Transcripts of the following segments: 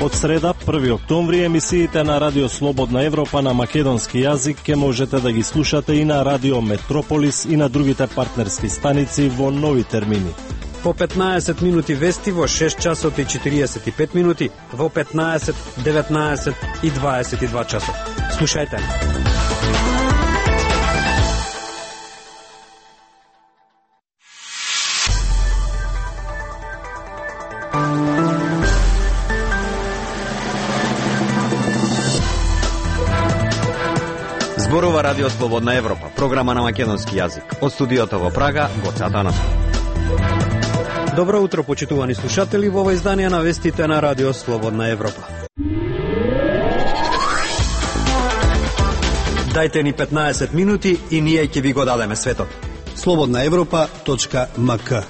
Од среда, 1 октомври, емисиите на Радио Слободна Европа на македонски јазик ќе можете да ги слушате и на Радио Метрополис и на другите партнерски станици во нови термини. По 15 минути вести во 6 часот и 45 минути, во 15, 19 и 22 часот. Слушајте. Зборува Радио Слободна Европа, програма на македонски јазик. Од студиото во Прага, Гоце Атанасов. Добро утро, почитувани слушатели, во ова издание на вестите на Радио Слободна Европа. Дајте ни 15 минути и ние ќе ви го дадеме светот. slobodnaevropa.mk.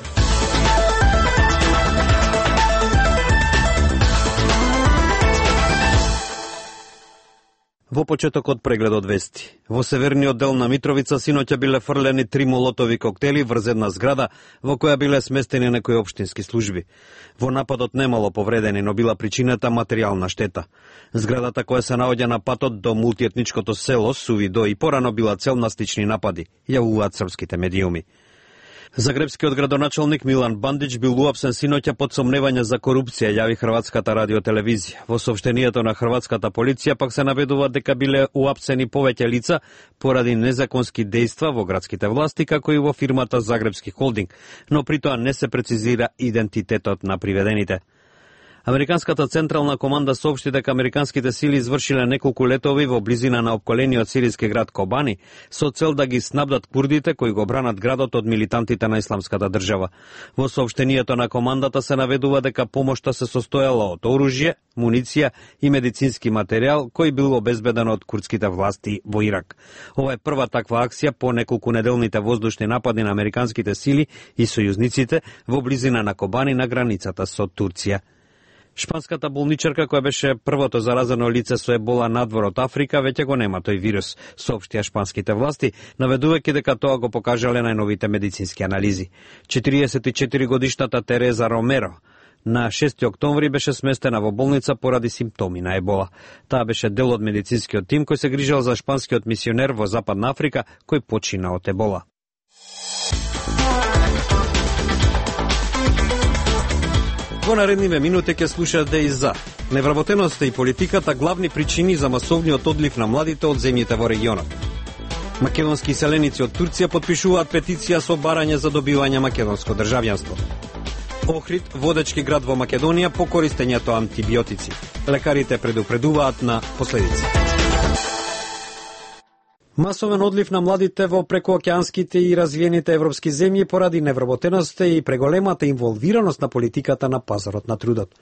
Во почетокот прегледот вести. Во северниот дел на Митровица синоќа биле фрлени 3 молотови коктели врз една зграда во која биле сместени некои општински служби. Во нападот немало повредени, но била причината материјална штета. Зградата која се наоѓа на патот до мултиетничкото село Сувидо и порано била цел на слични напади, јавуваат српските медиуми. Загребскиот градоначалник Милан Бандич бил уапсен синоќа под сомневање за корупција, јави Хрватската радиотелевизија. Во соопштението на хрватската полиција пак се наведува дека биле уапсени повеќе лица поради незаконски дејства во градските власти, како и во фирмата Загребски холдинг, но при тоа не се прецизира идентитетот на приведените. Американската централна команда соопшти дека американските сили извршиле неколку летови во близина на опколениот сириски град Кобани со цел да ги снабдат курдите кои го бранат градот од милитантите на исламската држава. Во соопштението на командата се наведува дека помошта се состојала од оружје, муниција и медицински материјал кој бил обезбеден од курдските власти во Ирак. Ова е прва таква акција по неколку неделните воздушни напади на американските сили и сојузниците во близина на Кобани на границата со Турција. Шпанската болничарка која беше првото заразено лице со ебола надвор од Африка веќе го нема тој вирус, соопштија шпанските власти, наведувајќи дека тоа го покажале најновите медицински анализи. 44 годишната Тереза Ромеро на 6 октомври беше сместена во болница поради симптоми на ебола. Таа беше дел од медицинскиот тим кој се грижал за шпанскиот мисионер во Западна Африка кој почина од ебола. Во наредниве минути ќе слушате и за невработеноста и политиката главни причини за масовниот одлив на младите од земјите во регионот. Македонски селеници од Турција подпишуваат петиција со барање за добивање македонско државјанство. Охрид, водечки град во Македонија по користењето антибиотици. Лекарите предупредуваат на последици. Масовен одлив на младите во прекоокеанските и развиените европски земји поради невработеноста и преголемата инволвираност на политиката на пазарот на трудот.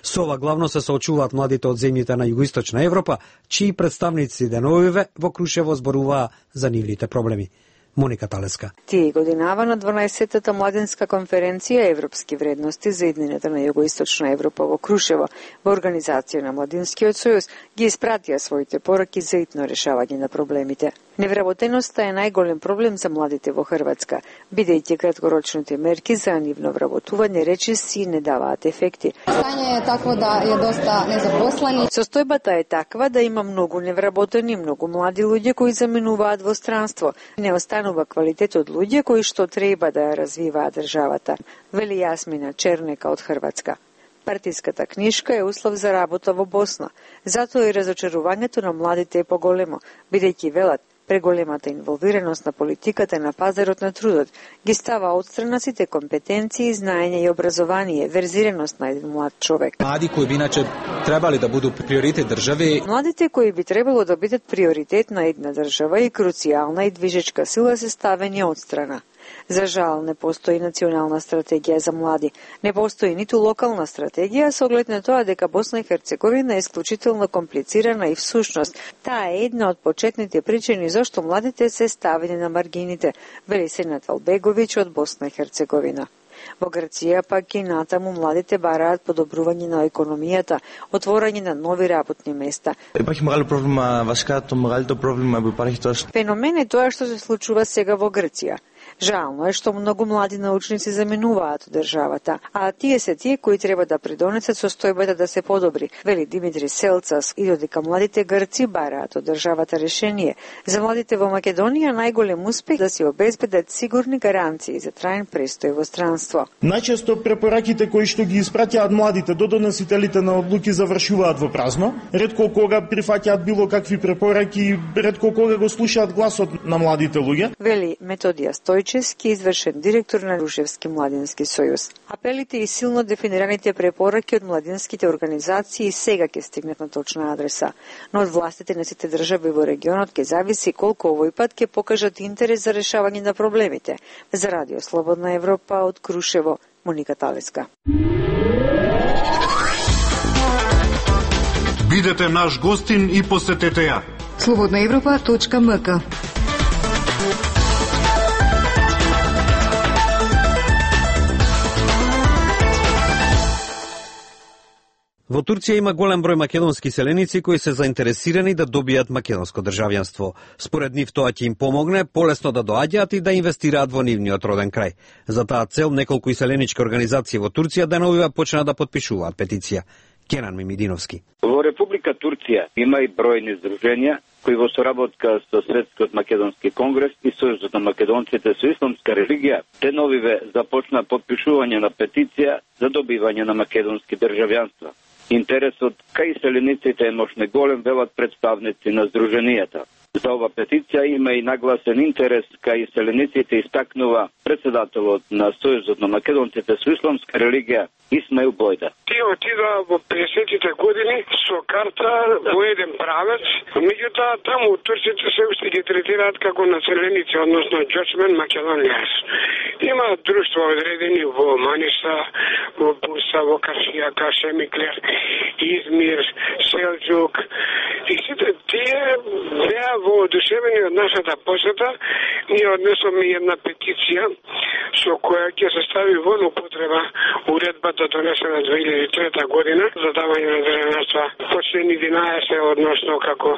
Со ова главно се соочуваат младите од земјите на југоисточна Европа, чии представници деновиве во Крушево зборуваа за нивните проблеми. Моника Талеска. Тие годинава на 12-та младинска конференција Европски вредности за иднината на Југоисточна Европа во Крушево, во организација на Младинскиот сојуз, ги испратија своите пораки за итно решавање на проблемите. Невработеноста е најголем проблем за младите во Хрватска, бидејќи краткорочните мерки за нивно вработување речиси не даваат ефекти. Стање е такво да е доста незапослени. Состојбата е таква да има многу невработени, многу млади луѓе кои заменуваат во странство. Не останува квалитет од луѓе кои што треба да ја развиваат државата, вели Јасмина Чернека од Хрватска. Партиската книшка е услов за работа во Босна, затоа и разочарувањето на младите е поголемо, бидејќи велат преголемата инволвираност на политиката на пазарот на трудот ги става отстрана сите компетенции, знаење и образование, верзираност на еден млад човек. Млади кои би иначе требали да буду приоритет држави. Младите кои би требало да бидат приоритет на една држава и круцијална и движечка сила се ставени отстрана. За жал, не постои национална стратегија за млади. Не постои ниту локална стратегија со оглед на тоа дека Босна и Херцеговина е исклучително комплицирана и всушност таа е една од почетните причини зашто младите се ставени на маргините, вели Сенат Албеговиќ од Босна и Херцеговина. Во Грција пак и натаму младите бараат подобрување на економијата, отворање на нови работни места. Υπάρχει μεγάλο πρόβλημα, βασικά το μεγαλύτερο πρόβλημα που υπάρχει τώρα. Феномен е тоа што се случува сега во Грција. Жално е што многу млади научници заменуваат од државата, а тие се тие кои треба да придонесат состојбата да се подобри, вели Димитри Селцас, и додека младите грци бараат од државата решение. За младите во Македонија најголем успех да се обезбедат сигурни гаранции за траен престој во странство. Најчесто препораките кои што ги испраќаат младите до доносителите на одлуки завршуваат во празно. Ретко кога прифаќаат било какви препораки, ретко кога го слушаат гласот на младите луѓе. Вели Методија Стојчевски, извршен директор на Рушевски младински сојуз. Апелите и силно дефинираните препораки од младинските организации сега ќе стигнат на точна адреса, но од властите на сите држави во регионот ќе зависи колку овој пат ќе покажат интерес за решавање на проблемите. За Радио Слободна Европа од Крушево, Моника Талеска. Бидете наш гостин и посетете ја. slobodnaevropa.mk. Во Турција има голем број македонски селеници кои се заинтересирани да добијат македонско државјанство. Според нив тоа ќе им помогне полесно да доаѓаат и да инвестираат во нивниот роден крај. За таа цел неколку селенички организации во Турција деновива почна да потпишуваат петиција. Кенан Мимидиновски. Во Република Турција има и бројни здруженја кои во соработка со Светскиот македонски конгрес и Сојузот на македонците со исламска религија деновиве започна потпишување на петиција за добивање на македонски државјанства. Интересот кај селениците е мощне голем, велат представници на здруженијата. За ова петиција има и нагласен интерес кај селениците, истакнува председателот на Сојузот на македонците со исламска религија Исмаил Бојда. Тие отида во 50-тите години со карта во еден правец, меѓутоа таму турците се уште ги третираат како населеници, односно Џочмен Македонијас. Има друштва одредени во Маниса, во Бурса, во Кашијака, Шемиклер, Измир, Селџук. И сите тие беа воодушевени од нашата посета. Ние однесоме една петиција со која ќе се стави во употреба уредбата донесена 2003 година за давање на државјанства по член 11, односно како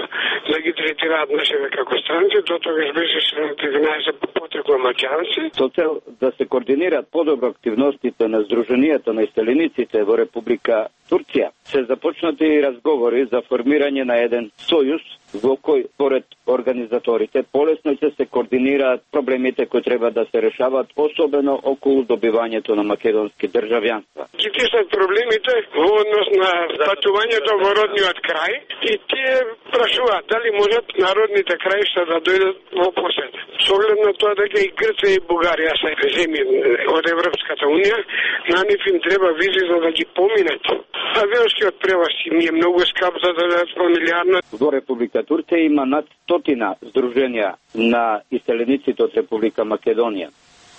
да ги третираат нашите како странци, до тогаш беше член 11 по потекло македонци. Со цел да се координираат подобро активностите на здруженијата на иселениците во Република Турција, се започнати разговори за формирање на еден сојуз во кој, според организаторите, полесно ќе се координираат проблемите кои треба да се решаваат, особено околу добивањето на македонски државјанства. Ги тиснат проблемите во однос на патувањето во родниот крај и тие прашуваат дали можат народните краишта да дојдат во посета. Со оглед на тоа дека и Грција и Бугарија се земји од Европската унија, на нив им треба визи за да ги поминат. Авионскиот превоз им е многу скап за да дадат фамилиарно. Во Република Турција има над 100 здруженја на иселениците од Република Македонија.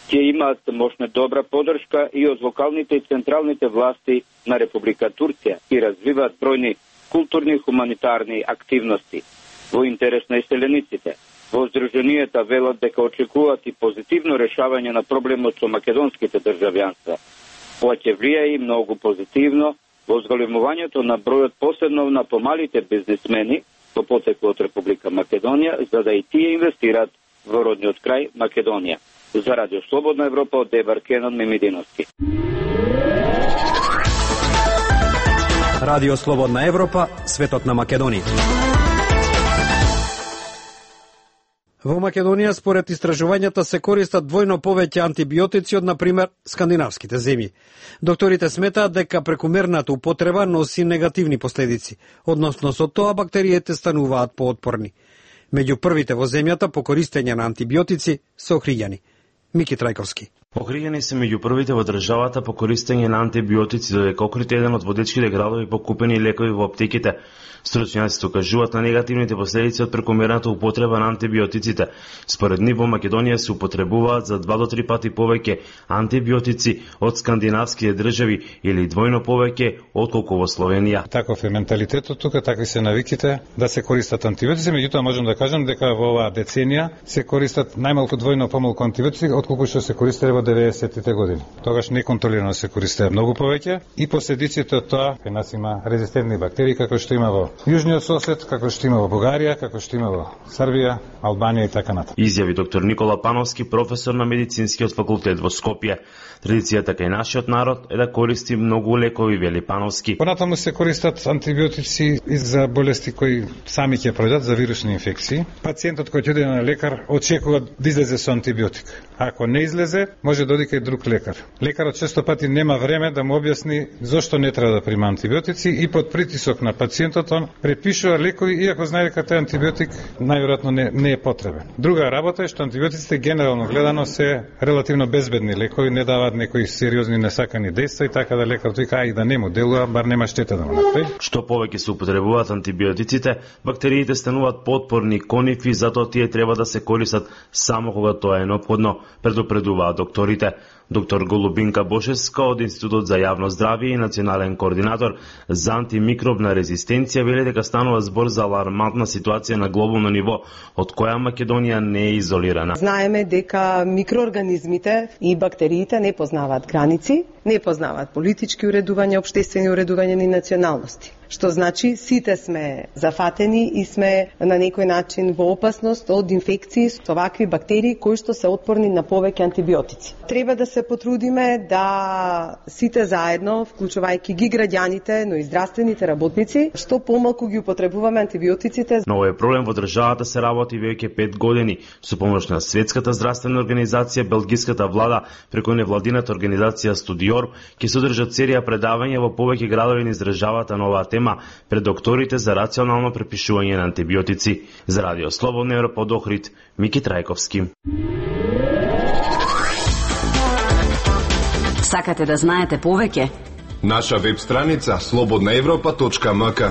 Тие имаат мощна добра поддршка и од локалните и централните власти на Република Турција и развиваат бројни културни и хуманитарни активности во интерес на иселениците. Во здруженијата велат дека очекуваат и позитивно решавање на проблемот со македонските државјанства. Ова ќе влијае и многу позитивно во зголемувањето на бројот, посебно на помалите бизнисмени по потекло од Република Македонија, за да и тие инвестираат во родниот крај Македонија. За Радио Слободна Европа од Дебар Кенан Мимидиновски. Радио Слободна Европа, светот на Македонија. Во Македонија, според истражувањата, се користат двојно повеќе антибиотици од, например, скандинавските земји. Докторите сметаат дека прекумерната употреба носи негативни последици, односно со тоа бактериите стануваат поотпорни. Меѓу првите во земјата по користење на антибиотици се охриѓани. Мики Трајковски. Охриѓани се меѓу првите во државата по користење на антибиотици, додека Охрид е еден од водечките градови по купени лекови во аптеките. Стручњаците укажуваат на негативните последици од прекомерната употреба на антибиотиците. Според нив во Македонија се употребуваат за 2 до 3 пати повеќе антибиотици од скандинавските држави или двојно повеќе отколку во Словенија. Таков е менталитетот тука, такви се навиките да се користат антибиотици, меѓутоа можам да кажам дека во оваа деценија се користат најмалку двојно помалку антибиотици отколку што се користеле во во 90-тите години. Тогаш неконтролирано се користеа многу повеќе и последиците од тоа кај нас има резистентни бактерии како што има во јужниот сосед, како што има во Бугарија, како што има во Србија, Албанија и така натаму. Изјави доктор Никола Пановски, професор на медицинскиот факултет во Скопје. Традицијата кај нашиот народ е да користи многу лекови, вели Пановски. Понатаму се користат антибиотици и за болести кои сами ќе пројдат, за вирусни инфекции. Пациентот кој ќе оди на лекар очекува да излезе со антибиотик. Ако не излезе, може да оди кај друг лекар. Лекарот често пати нема време да му објасни зошто не треба да прима антибиотици и под притисок на пациентот он препишува лекови иако знае дека тој антибиотик најверојатно не е потребен. Друга работа е што антибиотиците генерално гледано се релативно безбедни лекови, не даваат некои сериозни несакани дејства и така да лекарот вика и да не му делува, бар нема штета да му направи. Што повеќе се употребуваат антибиотиците, бактериите стануваат потпорни кон нив и затоа тие треба да се користат само кога тоа е неопходно, предупредуваат докторите. Доктор Голубинка Бошевска од Институтот за јавно здравје и национален координатор за антимикробна резистенција вели дека станува збор за алармантна ситуација на глобално ниво, од која Македонија не е изолирана. Знаеме дека микроорганизмите и бактериите не познаваат граници, не познаваат политички уредувања, општествени уредувања ни националности. Што значи сите сме зафатени и сме на некој начин во опасност од инфекции со вакви бактерии кои што се отпорни на повеќе антибиотици. Треба да се потрудиме да сите заедно, вклучувајќи ги граѓаните, но и здравствените работници, што помалку ги употребуваме антибиотиците. Но овој проблем во државата се работи веќе 5 години со помош на Светската здравствена организација, белгиската влада преку невладината организација Студиор ќе содржат серија предавања во повеќе градови низ државата на оваа тема пред докторите за рационално препишување на антибиотици. За Радио Слободна Европа од Охрид, Мики Трајковски. Сакате да знаете повеќе? Наша веб страница slobodnaevropa.mk.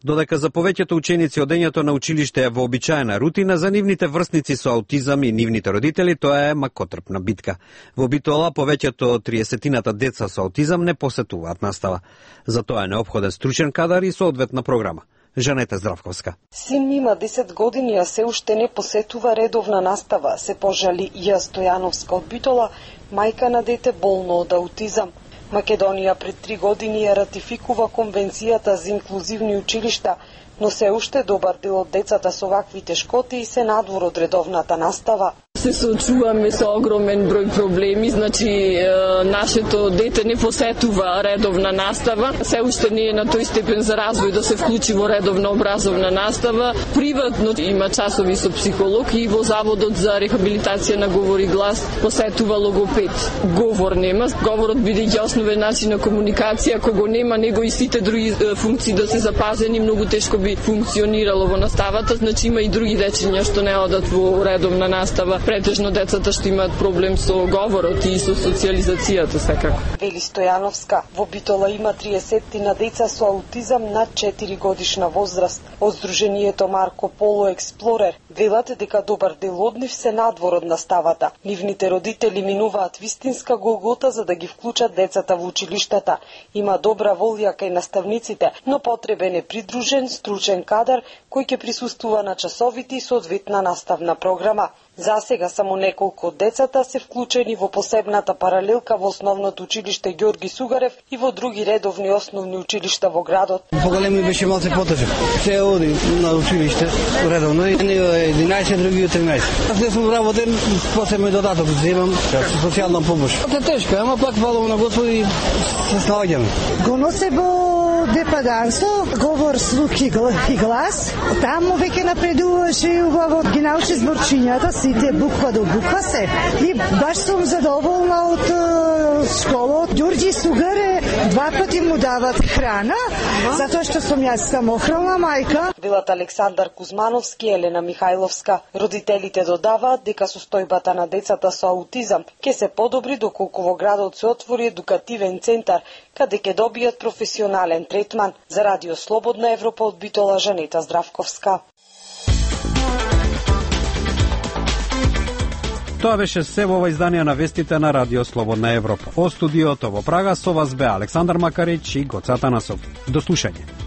Додека за повеќето ученици одењето на училиште е вообичаена рутина, за нивните врсници со аутизам и нивните родители тоа е макотрпна битка. Во Битола повеќето од 30-тината деца со аутизам не посетуваат настава. За тоа е неопходен стручен кадар и соодветна програма. Жанета Здравковска. Син има 10 години, а се уште не посетува редовна настава, се пожали Ја Стојановска од Битола, мајка на дете болно од аутизам. Македонија пред 3 години ја ратификува Конвенцијата за инклузивни училишта, но се уште добар дел од децата со вакви тешкоти се надвор од редовната настава. Се соочуваме со огромен број проблеми, значи нашето дете не посетува редовна настава, се уште не е на тој степен за развој да се вклучи во редовна образовна настава. Приватно има часови со психолог и во Заводот за рехабилитација на говор и глас посетува логопед. Говор нема, говорот бидејќи основен начин на комуникација, ако го нема него и сите други функции да се запазени, многу тешко би функционирало во наставата, значи има и други дечиња што не одат во редовна настава. Претежно децата што имаат проблем со говорот и со социјализацијата секако. Вели Стојановска, во Битола има 30 на деца со аутизам над 4 годишна возраст. Од Сдруженијето Марко Поло Експлорер велат дека добар дел од нив се надвор од наставата. Нивните родители минуваат вистинска голгота за да ги вклучат децата во училиштата. Има добра волја кај наставниците, но потребен е придружен стручен кадар кој ќе присуствува на часовите и соодветна наставна програма. За сега само неколку од децата се вклучени во посебната паралелка во основното училиште Ѓорги Сугарев и во други редовни основни училишта во градот. Поголеми беше малце потежок. Се оди на училиште редовно, едни 11, други 13. Аз не сум работен, после ме додаток земам социјална помош. Тоа е тешко, ама пак фалам на Господ и се снаоѓаме. Го носе во депаданство, говор, слух и глас. Таму веќе напредуваше и убаво ги научи зборчињата, сите буква до буква се. И баш сум задоволна од школот. Ѓорѓи Сугаре 2 пати му дават храна, затоа што сум јас самохрана мајка. Велат Александар Кузмановски и Елена Михајловска. Родителите додаваат дека состојбата на децата со аутизам ќе се подобри доколку во градот се отвори едукативен центар, каде ќе добијат професионален третман. За Радио Слободна Европа од Битола, Жанета Здравковска. Тоа беше се во ова издание на вестите на Радио Слободна Европа. Од студиото во Прага со вас бе Александар Макарич и Гоца Танасов. До слушање.